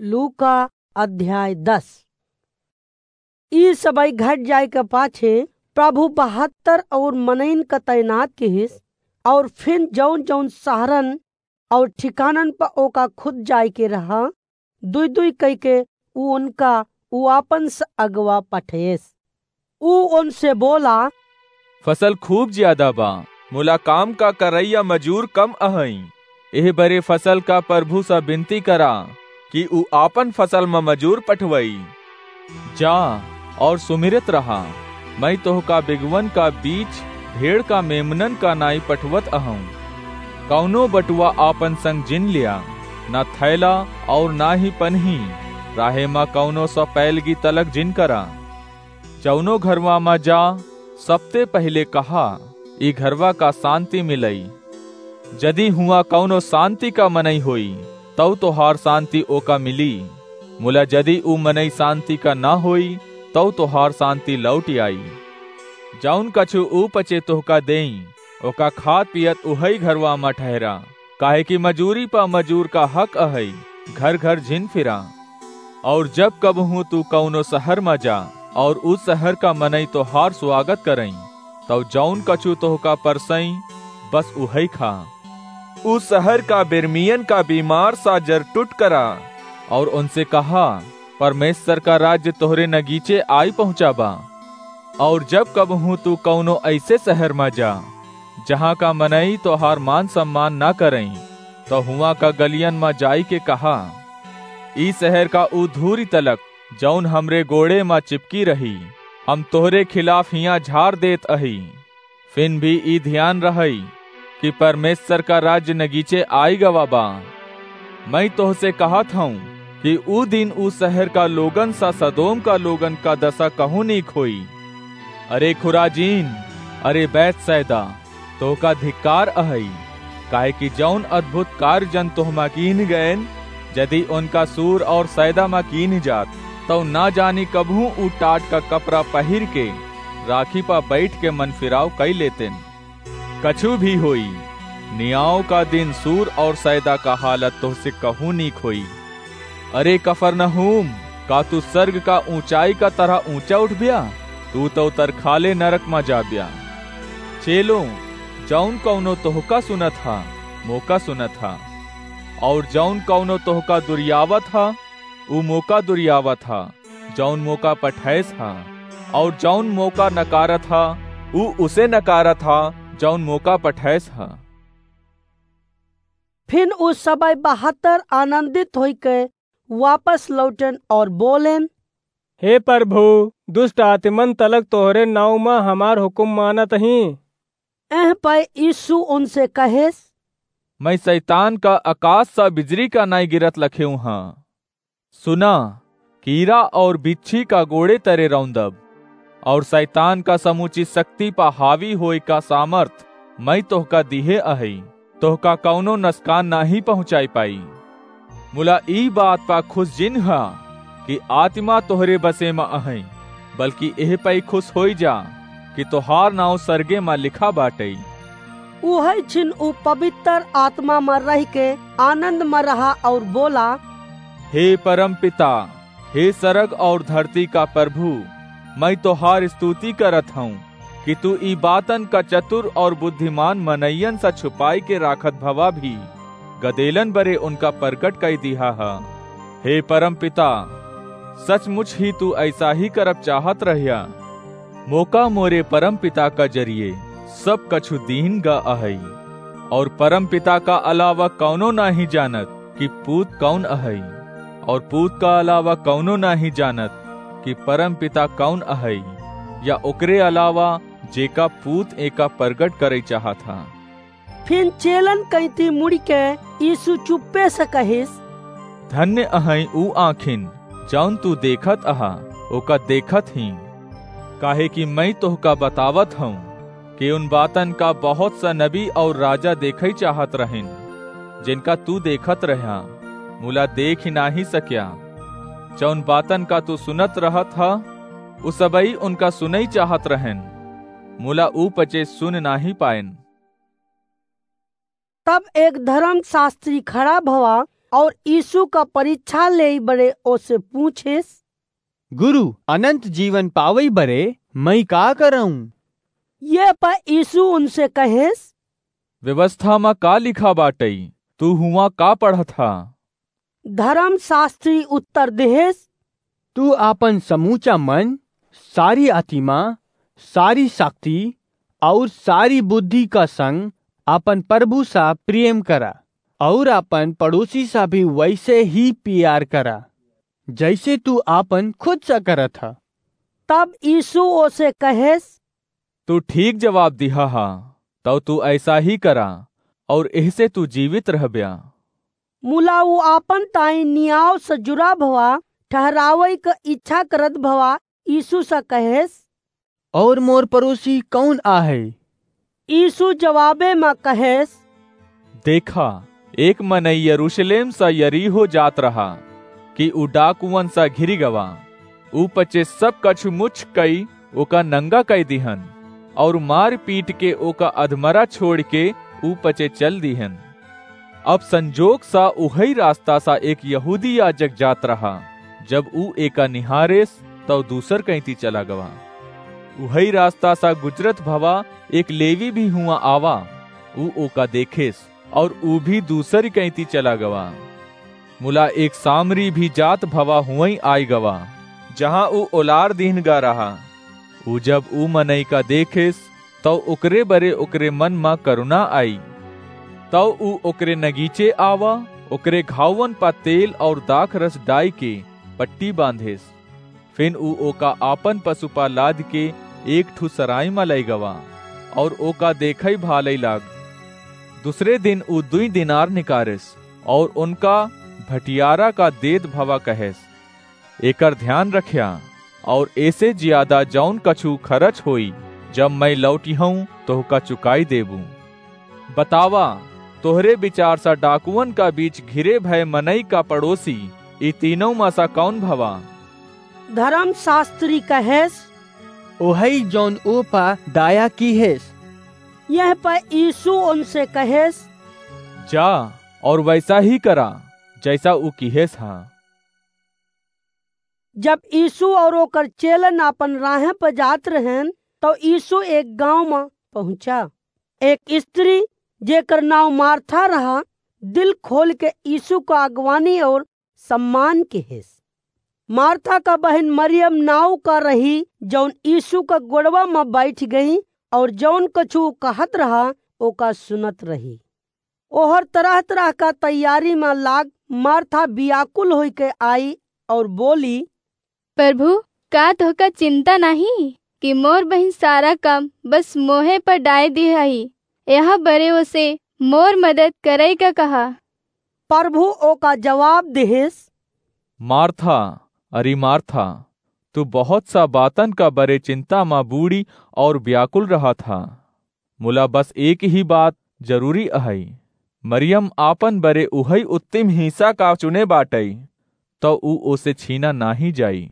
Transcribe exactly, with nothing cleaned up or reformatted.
लूका अध्याय दस। ई सबई घट जाए के पाछे प्रभु बहत्तर और मनइन का तैनात किहिस, और फिन जौन जौन शहरन और ठिकानन पर ओका खुद जाए के रहा, दुई दुई कई के ऊ उनका ऊ आपन स अगवा पठेस। ऊ उनसे बोला, "फसल खूब ज्यादा बा, मुला काम का करैया मजूर कम अहई। एह बरे फसल का प्रभु सा बिनती करा कि ऊ आपन फसल म मजूर पठवई। जा और सुमिरत रहा, मैं तोहका बिगवन का बीच भेड़ का मेमनन का नाई पठवत अहूँ। कौनो बटुआ आपन संग जिन लिया, ना थैला और ना ही पनही, राहे म कौनो सा पैलगी तलक जिन करा। जौनो घरवा म जा, सबते पहिले कहा, ई घरवा का शांति मिलई। जदि हुआ कौनो शांति का मनई होई, तौ तोहार शांति ओका मिली। मुला जदि ऊ मनई शांति का ना होई, तौ तोहार शांति लौटि आई। जौन कछु ऊ पचे तोहका देई, ओका खात पियत उहई घरवा म ठहरा, काहे कि मजूरी पा मजूर का हक अहई, घर घर झिन फिरा। और जब कबहूँ तू कौनो शहर म जा, और उस शहर का मनई तोहार स्वागत करई, तौ जौन कछु तोहका परसई, बस उहई खा। उस शहर का बिरमियन का बीमार सा जर टुट करा, और उनसे कहा, परमेश्वर का राज्य तोहरे नगीचे आई पहुँचा बा। और जब कबहूँ तू कौनो ऐसे शहर म जा, जहाँ का मनई तोहार मान सम्मान ना करई, तो हुआं का गलियन म जाई के कहा, ई शहर का ऊ धूरी तलक, जौन हमरे गोड़े म चिपकी रही, हम तोहरे खिलाफ हियां झार देत अही। फिन भी ई ध्यान रहई कि परमेश्वर का राज्य नगीचे आई गवा बा। मैं तोहसे कहत हूँ कि ऊ दिन ऊ शहर का लोगन सा सदोम का लोगन का दशा कहूँ नीक होई। अरे खुराजीन, अरे बैतसैदा, तोहका धिक्कार अहई, काहे कि जौन अद्भुत कार्य जन तोहमा कीन गएन, यदि उनका सूर और सैदा मा कीन जात, तौ ना जानी कबहूँ ऊ टाट का कपड़ा पहिर के राखी पा बैठ के मन फिराव कई लेतेन। कछु भी होई, नियाव का दिन सूर और सैदा का हालत तोहसे कहूँ नीक होई। अरे कफरनहूम, का तू सर्ग का ऊंचाई का तरह ऊंचा उठब्या? तू तौ तरखाले नरक मा जाब्या। चेलो, जौन कौनो तोहका सुनत हा, मोका सुनत हा, और जौन कौनो तोहका दुरियावत हा, ऊ मोका दुरियावत हा, जौन मोका पठैस हा, और जौन मोका नकारत हा, ऊ उसे नकारत हा, जौन मोका पठैस हा। फिन ऊ सबई बहत्तर आनंदित होइके वापस लौटेन और बोलेन, हे प्रभु, दुष्ट आत्मन तलक तोहरे नाव मा हमार हुकुम मानत ही। एह पै यीशु उनसे कहेस, मैं शैतान का आकाश सा बिजरी का नाई गिरत लखेऊ हाँ। सुना, कीरा और बिच्छी का गोड़े तरे रौंदब, और शैतान का समूची शक्ति पा हावी होए का सामर्थ मैं तोहका दिहे अहई, तोहका कौनो नसकान नाही पहुँचाई पाई। मुला ई बात पा खुश जिन हा कि आत्मा तोहरे बसे मा अहई, बल्कि एह पै खुश होई जा कि तोहार नाव सरगे मा लिखा बाटई। उहै छिन ऊ पवित्र आत्मा मा रहिके आनंद मा रहा और बोला, हे परम पिता, हे सरग और धरती का प्रभु, मैं तोहार स्तुति करत हूँ कि तू ई बातन का चतुर और बुद्धिमान मनइयन सा छुपाई के राखत भवा भी गदेलन बरे उनका प्रगट कई दिहा हा। हे परम पिता, सचमुच ही तू ऐसा ही करब चाहत रह्या। मोका मोरे परम पिता का जरिए सब कछु दीन गा अहई, और परम पिता का अलावा कौनो नाही जानत कि पूत कौन अहई, और पूत का अलावा कौनो नाही जानत कि परम पिता कौन अहई, या ओकरे अलावा जेका पूत एका प्रगट करई चाहत हा। फिन चेलन कैती मुड़िके यीशु चुप्पे से कहिस, धन्य अहई ऊ आँखिन, जौन तू देखत अहा, ओका देखत ही। काहे कि मैं तोहका बतावत हूँ कि उन बातन का बहुत सा नबी और राजा देखई चाहत रहिन, जिनका तू देखत रह्या, मुला देख ही नाही सक्या। जौन बातन का तू सुनत रहत हा, उ सबई उनका सुनई चाहत रहेन, मुला ऊ पचे सुन नाही पाएन। तब एक धर्मशास्त्री खड़ा भवा और यीशु का परीक्षा लेई बरे ओसे पूछेस, "गुरु, अनंत जीवन पावई बरे मई का करऊं?" ये पर यीशु उनसे कहेस, "व्यवस्था मा का लिखा बाटई? तू हुआ का पढ़त हा?" धर्मशास्त्री उत्तर देहेस, "तू आपन समूचा मन, सारी आत्मा, सारी शक्ति और सारी बुद्धि का संग आपन प्रभु सा प्रेम करा और आपन पड़ोसी सा भी वैसे ही प्यार करा, जैसे तू आपन खुद सा करत हा।" तब यीशु ओसे कहेस, "तू ठीक जवाब दिहा हा, तब तू ऐसा ही करा और एहसे तू जीवित रहब्या।" मुला ऊ आपन ताई नियाव से जुरा भवा ठहरावई क इच्छा करत भवा यीशु से कहेस, "और मोर पड़ोसी कौन आहे?" यीशु जवाबे में कहेस, "देखा, एक मनई यरूशलेम सा यरीहो जात रहा कि ऊ डाकुअन सा घिरी गवा। ऊ पचे सब कछु मुछ कई ओका नंगा कई दिहन और मार पीट के ओका अधमरा छोड़ के ऊ पचे चल दिहन। अब संजोग सा उहई रास्ता सा एक यहूदी याजक जात रहा। जब ऊ एका निहारेस, तब दूसर कैंती चला गवा। उहई रास्ता सा गुजरत भवा एक लेवी भी हुआ आवा। ऊ ओका देखेस और ऊ भी दूसर कैंती चला गवा। मुला एक सामरी भी जात भवा हुआई आई गवा, जहाँ ऊ ओलार दीन गा रहा। ऊ जब ऊ मनई का देखेस, तौ ओकरे बरे ओकरे मन मा करुणा आई। तौ ऊ ओकरे नगीचे आवा, ओकरे घावन पा तेल और दाख रस डाई के पट्टी बांधेस। फिन ऊ ओका आपन पसु पा लाद के एक ठू सराय मा लई गवा और ओका देखई भालई लाग। दूसरे दिन ऊ दुई दिनार निकारेस और उनका भटियारा का देत भवा कहेस, "एकर ध्यान रख्या और एसे जियादा जौन कछु खरच होई, जब मैं लौटिहऊँ तोहका चुकाई देबू। बतावा, तोहरे विचार सा डाकुअन का बीच घिरे भय मनई का पड़ोसी ई तीनों मा सा कौन भवा?" धर्मशास्त्री कहेस, "ओहई जौन ओ पा दाया किहेस।" यह पर यीशु उनसे कहेस, "जा और वैसा ही करा, जैसा ऊ किहेस हा।" जब यीशु और ओकर चेलन आपन राह पर जात रहन, तो यीशु एक गांव में पहुंचा। एक स्त्री, जेकर नाव मार्था रहा, दिल खोल के यीशु का अगवानी और सम्मान किहेस। मार्था का बहन मरियम नाव का रही, जौन यीशु का गोड़वा में बैठ गई और जौन कछु कहत रहा, ओका सुनत रही। ओहर तरह-तरह का तैयारी में लाग मार्था बियाकुल होई के आई और बोली, "प्रभु, का तोहका चिंता नाहीं कि मोर बहिन सारा काम बस मोहे पर डाय दिहई? यह बरे ओसे मोर मदद करई का कहा।" प्रभु ओका जवाब देहेस, "मार्था, अरे मार्था, तू बहुत सा बातन का बरे चिंता मा बूड़ी और व्याकुल रहत हा। मुला बस एक ही बात जरूरी अहई। मरियम आपन बरे उहई उत्तम हिस्सा का चुने बाटई, तो ऊ ओसे छीना नाहीं जाई।"